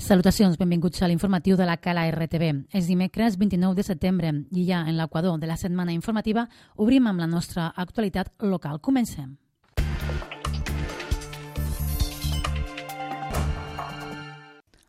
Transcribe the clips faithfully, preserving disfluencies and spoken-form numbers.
Salutacions, benvinguts a l'informatiu de la Cala R T V. És dimecres vint-i-nou de setembre i ja en l'equador de la setmana informativa obrim amb la nostra actualitat local. Comencem.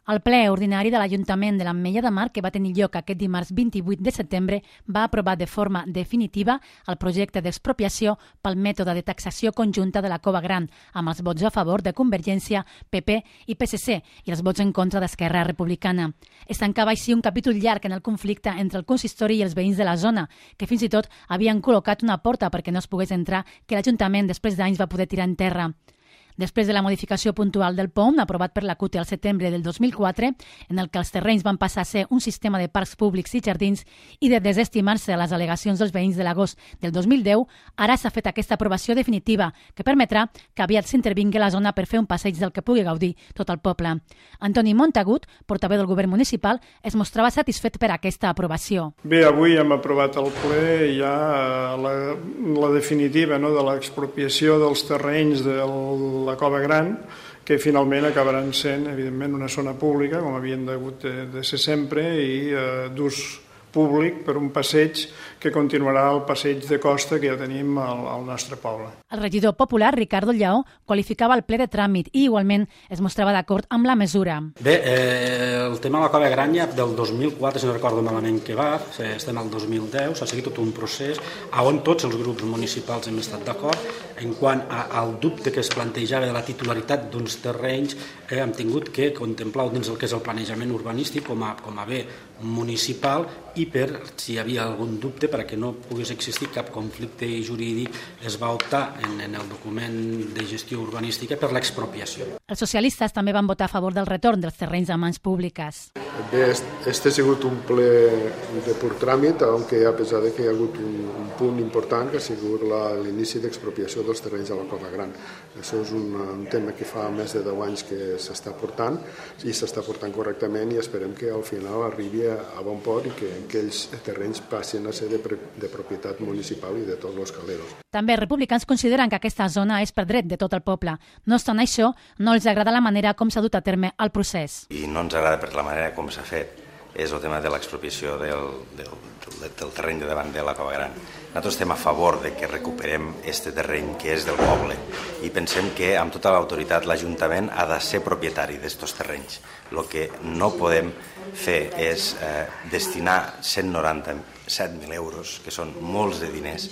El ple ordinari de l'Ajuntament de l'Ametlla de Mar, que va tenir lloc aquest dimarts vint-i-vuit de setembre, va aprovar de forma definitiva el projecte d'expropiació pel mètode de taxació conjunta de la Cova Gran, amb els vots a favor de Convergència, P P i P S C i els vots en contra d'Esquerra Republicana. Es tancava així un capítol llarg en el conflicte entre el consistori i els veïns de la zona, que fins i tot havien col·locat una porta perquè no es pogués entrar, que l'Ajuntament després d'anys va poder tirar en terra. Després de la modificació puntual del P O M, aprovat per la C U T al setembre del dos mil quatre, en el que els terrenys van passar a ser un sistema de parcs públics i jardins i de desestimar-se les al·legacions dels veïns de l'agost del dos mil deu, ara s'ha fet aquesta aprovació definitiva que permetrà que aviat s'intervingui la zona per fer un passeig del que pugui gaudir tot el poble. Antoni Montagut, portaveu del govern municipal, es mostrava satisfet per aquesta aprovació. Bé, avui hem aprovat al ple ja la, la definitiva no, de l'expropiació dels terrenys del la Cova Gran, que finalment acabaran sent, evidentment, una zona pública, com havien hagut de, de ser sempre, i eh, d'ús públic per un passeig que continuarà el passeig de costa que ja tenim al, al nostre poble. El regidor popular, Ricardo Lleó, qualificava el ple de tràmit i igualment es mostrava d'acord amb la mesura. Bé, eh, el tema de la Cova Gran ja del dos mil quatre, si no recordo malament que va, estem al dos mil deu, s'ha seguit tot un procés on tots els grups municipals hem estat d'acord en quant a, al dubte que es plantejava de la titularitat d'uns terrenys, eh, hem tingut que contemplar dins el que és el planejament urbanístic com a, com a bé municipal i per si hi havia algun dubte perquè no pogués existir cap conflicte jurídic es va optar en, en el document de gestió urbanística per l'expropiació. Els socialistes també van votar a favor del retorn dels terrenys a mans públiques. Bé, este ha sigut un ple de pur tràmit, aunque a pesar de que hi ha hagut un, un punt important que ha sigut l'inici d'expropiació dels terrenys de la Cova Gran. Això és un, un tema que fa més de deu anys que s'està portant i s'està portant correctament i esperem que al final arribi a bon port i que aquells terrenys passin a ser de, de propietat municipal i de tots els caleros. També els republicans consideren que aquesta zona és per dret de tot el poble. No obstant això, no els agrada la manera com s'ha dut a terme el procés. I no ens agrada per la manera com s'ha fet. És el tema de l'expropiació del, del, del, del terreny de davant de la Cova Gran. Nosaltres estem a favor de que recuperem este terreny que és del poble i pensem que amb tota l'autoritat l'Ajuntament ha de ser propietari d'estos terrenys. El que no podem fer és eh, destinar cent noranta-set mil euros, que són molts de diners,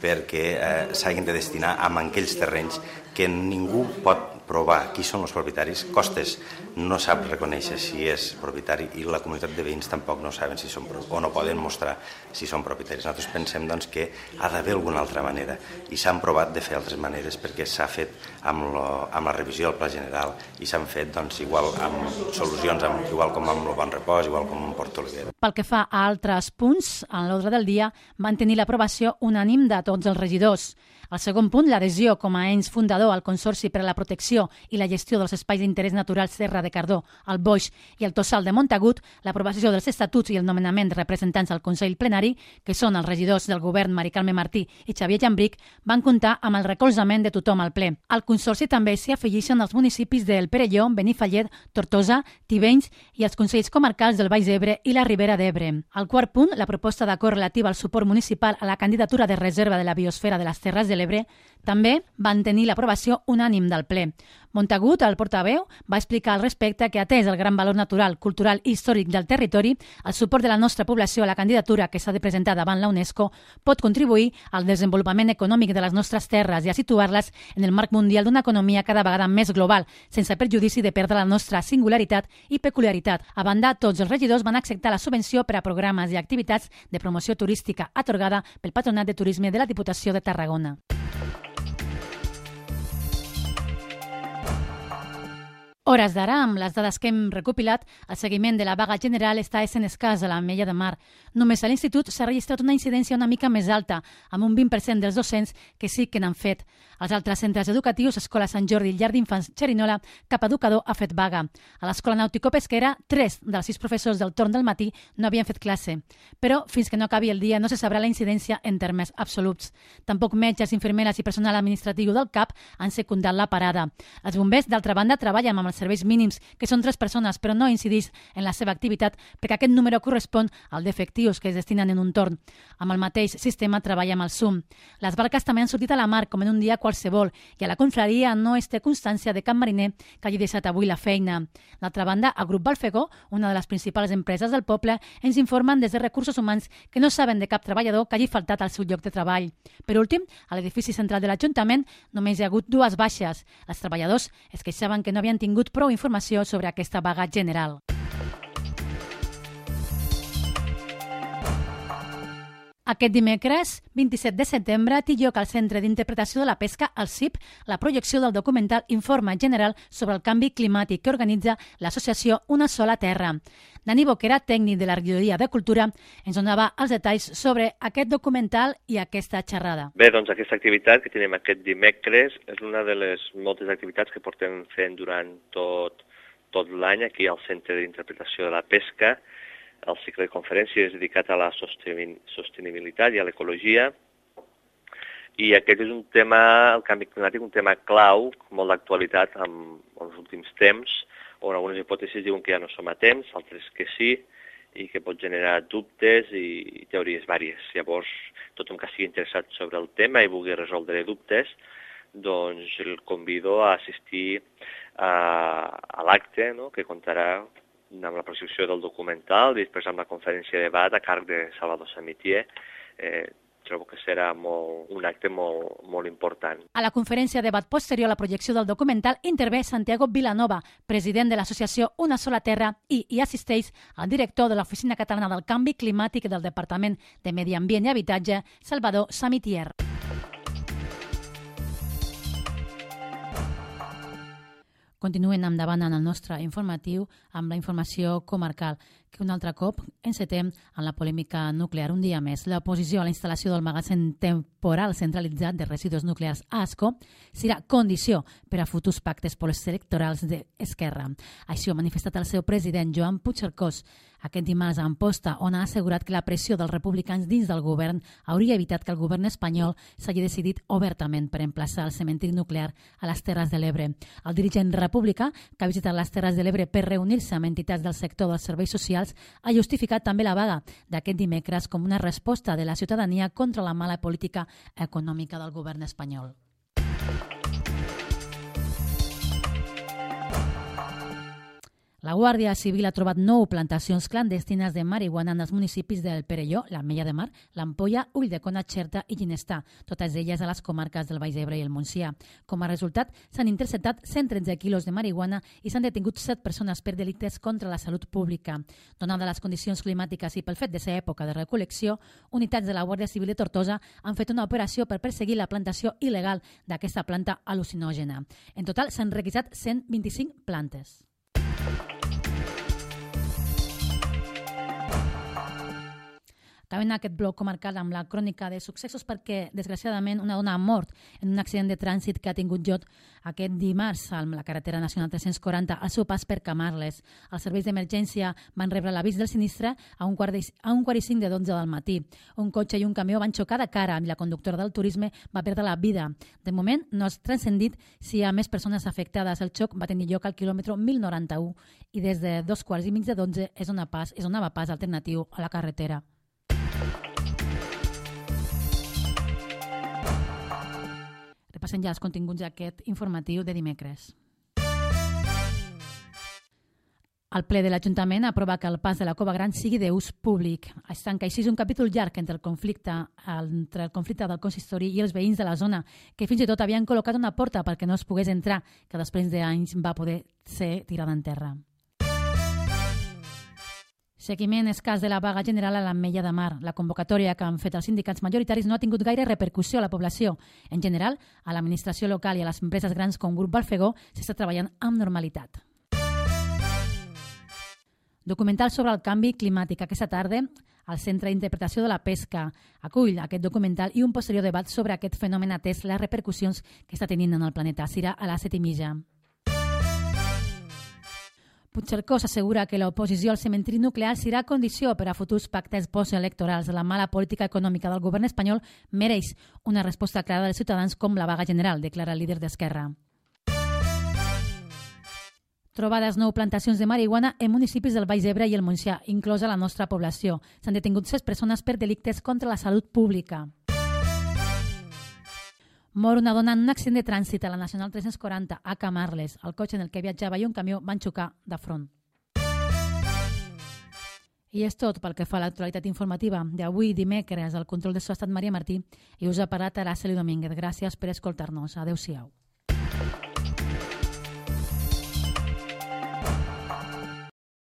perquè eh, s'hagin de destinar a aquells terrenys que ningú pot provar qui són els propietaris. Costes no sap reconèixer si és propietari i la comunitat de veïns tampoc no saben si són o no poden mostrar si són propietaris. Nosaltres pensem doncs, que ha d'haver alguna altra manera i s'han provat de fer altres maneres perquè s'ha fet amb, lo, amb la revisió del Pla General i s'han fet doncs, igual amb solucions amb, igual com amb el Bon Repòs, igual com amb Porto Oliver. Pel que fa a altres punts, en l'ordre del dia van tenir l'aprovació unànim de tots els regidors. El segon punt, l'adhesió com a ens fundador al Consorci per a la Protecció i la Gestió dels Espais d'Interès Natural Serra de Cardó, el Boix i el Tossal de Montagut, l'aprovació dels estatuts i el nomenament de representants al Consell Plenari, que són els regidors del govern Mari Carme Martí i Xavier Llambric, van comptar amb el recolzament de tothom al ple. Al Consorci també s'hi afegeixen els municipis del Perelló, Benifallet, Tortosa, Tivenys i els Consells Comarcals del Baix Ebre i la Ribera d'Ebre. Al quart punt, la proposta d'acord relativa al suport municipal a la candidatura de reserva de la biosfera de les Terres de l'Ebre també van tenir l'aprovació unànim del ple. Montagut, el portaveu, va explicar al respecte que, atès el gran valor natural, cultural i històric del territori, el suport de la nostra població a la candidatura que s'ha de presentar davant la UNESCO pot contribuir al desenvolupament econòmic de les nostres terres i a situar-les en el marc mundial d'una economia cada vegada més global, sense perjudici de perdre la nostra singularitat i peculiaritat. A banda, tots els regidors van acceptar la subvenció per a programes i activitats de promoció turística atorgada pel Patronat de Turisme de la Diputació de Tarragona. Hores d'ara, amb les dades que hem recopilat, el seguiment de la vaga general està essent escàs a l'Ametlla de Mar. Només a l'institut s'ha registrat una incidència una mica més alta, amb un vint per cent dels docents que sí que n'han fet. Als altres centres educatius, Escola Sant Jordi i Llar d'Infants Xerinola, cap educador ha fet vaga. A l'Escola Nàutico-Pesquera, tres dels sis professors del torn del matí no havien fet classe. Però, fins que no acabi el dia, no se sabrà la incidència en termes absoluts. Tampoc metges, infermeres i personal administratiu del C A P han secundat la parada. Els bombers, d'altra banda, treballen amb el serveis mínims, que són tres persones, però no incidís en la seva activitat perquè aquest número correspon al d'efectius que es destinen en un torn. Amb el mateix sistema treballa amb el S U M. Les barques també han sortit a la mar com en un dia qualsevol i a la confraria no es té constància de cap mariner que hagi deixat avui la feina. D'altra banda, el grup Balfegó, una de les principals empreses del poble, ens informen des de Recursos Humans que no saben de cap treballador que hagi faltat al seu lloc de treball. Per últim, a l'edifici central de l'Ajuntament només hi ha hagut dues baixes. Els treballadors es queixaven que no havien tingut prou informació sobre aquesta vaga general. Aquest dimecres, vint-i-set de setembre, té lloc al Centre d'Interpretació de la Pesca, el C I P, la projecció del documental Informe General sobre el canvi climàtic que organitza l'associació Una Sola Terra. Dani Boquera, tècnic de la regidoria de Cultura, ens donava els detalls sobre aquest documental i aquesta xerrada. Bé, doncs aquesta activitat que tenim aquest dimecres és una de les moltes activitats que portem fent durant tot, tot l'any aquí al Centre d'Interpretació de la Pesca. El cicle de conferències dedicat a la sostenibilitat i a l'ecologia. I aquest és un tema, el canvi climàtic, un tema clau, molt d'actualitat en els últims temps, on algunes hipòtesis diuen que ja no som a temps, altres que sí, i que pot generar dubtes i teories vàries. Llavors, tothom que estigui interessat sobre el tema i vulgui resoldre dubtes, doncs el convido a assistir a, a l'acte, no?, que contarà amb la projecció del documental i després amb la conferència de debat a càrrec de Salvador Samitier. Eh, trobo que serà molt, un acte molt, molt important. A la conferència de debat posterior a la projecció del documental intervé Santiago Vilanova, president de l'associació Una Sola Terra, i hi assisteix el director de l'Oficina Catalana del Canvi Climàtic del Departament de Medi Ambient i Habitatge, Salvador Samitier. Continuem endavant en el nostre informatiu amb la informació comarcal, que un altre cop encetem en la polèmica nuclear. Un dia més, l'oposició a la instal·lació del magatzem temporal centralitzat de residus nuclears a Ascó serà condició per a futurs pactes postelectorals d'Esquerra. Així ho ha manifestat el seu president, Joan Puigcercós, aquest dimarts a Amposta, on ha assegurat que la pressió dels republicans dins del govern hauria evitat que el govern espanyol s'hagi decidit obertament per emplaçar el cementiri nuclear a les Terres de l'Ebre. El dirigent republicà, que ha visitat les Terres de l'Ebre per reunir-se amb entitats del sector dels serveis socials, ha justificat també la vaga d'aquest dimecres com una resposta de la ciutadania contra la mala política econòmica del govern espanyol. La Guàrdia Civil ha trobat nou plantacions clandestines de marihuana en els municipis del Perelló, l'Ametlla de Mar, l'Ampolla, Ulldecona, Xerta i Ginestar, totes elles a les comarques del Baix Ebre i el Montsià. Com a resultat, s'han interceptat cent tretze quilos de marihuana i s'han detingut set persones per delictes contra la salut pública. Donada les condicions climàtiques i pel fet de ser època de recol·lecció, unitats de la Guàrdia Civil de Tortosa han fet una operació per perseguir la plantació il·legal d'aquesta planta al·lucinògena. En total s'han requisat cent vint-i-cinc plantes. Acabem aquest bloc comarcal amb la crònica de successos perquè, desgraciadament, una dona ha mort en un accident de trànsit que ha tingut lloc aquest dimarts a la carretera nacional tres-cents quaranta al seu pas per Camarles. Els serveis d'emergència van rebre l'avís del sinistre a un quart i cinc de dotze del matí. Un cotxe i un camió van xocar de cara i la conductora del turisme va perdre la vida. De moment, no ha transcendit si hi ha més persones afectades. El xoc va tenir lloc al quilòmetre mil noranta-u i des de dos quarts i mig de dotze és on pas, és donava pas alternatiu a la carretera. Repassem ja els continguts d'aquest informatiu de dimecres. El ple de l'Ajuntament aprova que el pas de la Cova Gran sigui d'ús públic. Es tanca així un capítol llarg entre el conflicte entre el conflicte del consistori i els veïns de la zona, que fins i tot havien col·locat una porta perquè no es pogués entrar, que després d'anys va poder ser tirada en terra. Seguiment escàs de la vaga general a l'Ametlla de Mar. La convocatòria que han fet els sindicats majoritaris no ha tingut gaire repercussió a la població. En general, a l'administració local i a les empreses grans com Grup Balfegó s'està treballant amb normalitat. Documental sobre el canvi climàtic. Aquesta tarda, al Centre d'Interpretació de la Pesca acull aquest documental i un posterior debat sobre aquest fenomen atès les repercussions que està tenint en el planeta. Serà a les set i mitja. Puigcercós assegura que l'oposició al cementiri nuclear serà condició per a futurs pactes postelectorals. La mala política econòmica del govern espanyol mereix una resposta clara dels ciutadans com la vaga general, declara el líder d'Esquerra. Trobades nou plantacions de marihuana en municipis del Baix Ebre i el Montsià, inclosa la nostra població. S'han detingut set persones per delictes contra la salut pública. Mor una dona en un accident de trànsit a la Nacional tres-cents quaranta a Camarles. El cotxe en el que viatjava i un camió van xocar de front. I és tot pel que fa a l'actualitat informativa d'avui dimecres. El control de so ha estat Maria Martí i us ha parlat Araceli Domínguez. Gràcies per escoltar-nos. Adéu-siau.